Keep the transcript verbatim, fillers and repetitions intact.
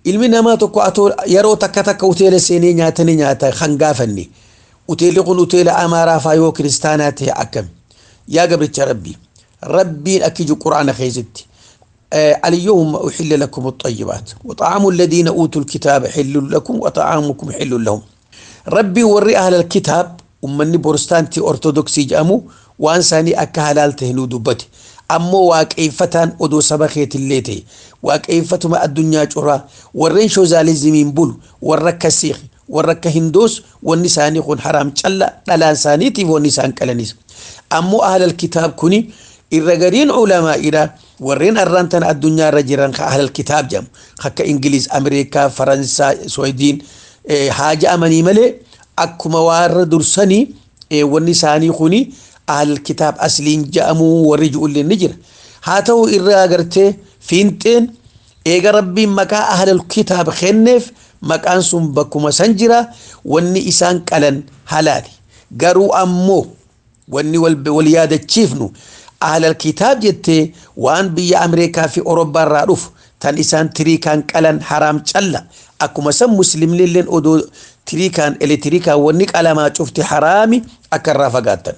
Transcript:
Ilmi namaa tokko atoo yeroo takka takka hoteela seenee nyaatanii nyaata kan gaafanne, hoteelli kun hoteela Amaaraa faa yoo kiristaanaa ta'e akkami? Yaa gabricha Rabbii, Rabbiin akki jiru Quraana keessatti: اليوم أحل لكم الطيبات وطعام الذين أوتوا الكتاب حل لكم وطعامكم حل لهم. ربي وري أهل الكتاب ومني بروستانتي أرثوذكسي جامو وأنساني أكا هلال تهنو دبتي، ammoo waaqeeffataan odoo saba keetillee ta'e waaqeeffatuma addunyaa curaa warreen shoozaalizimiin bulu, warra akka Siikh, warra akka Hindoos, wanni isaanii kun haraam calla, dhalaan isaaniitiif wanni isaan qalanis. Ammoo ahlal kitaab kuni irra gariin ulamaa'idha. Warreen arraan tana addunyaa irra jiran ka ahlal kitaab jedhamu akka Ingiliz, Ameerikaa, Faransaa, Swediin haa ja'amanii malee, akkuma warra dursanii wanni isaanii kuni ahlal kitaab asliin ja'amuu warri ji'ulleen ni jira. Haa ta'u, irraa agartee fiinxeen eega Rabbiin maqaa ahlal kitaab kenneef, maqaan sun bakkuma san jira, wanni isaan qalan halaali. Garuu ammoo wanni wal yaadachiifnu, ahlal kitaab jettee waan biyya Ameerikaa fi Awurooppaa irraa dhufu tan isaan tiriikaan qalan haraam calla. Akkuma san muslimnilleen odoo tiriikaan elektiriikaan wanni qalamaa cufti haraami, akka irraa fagaattan.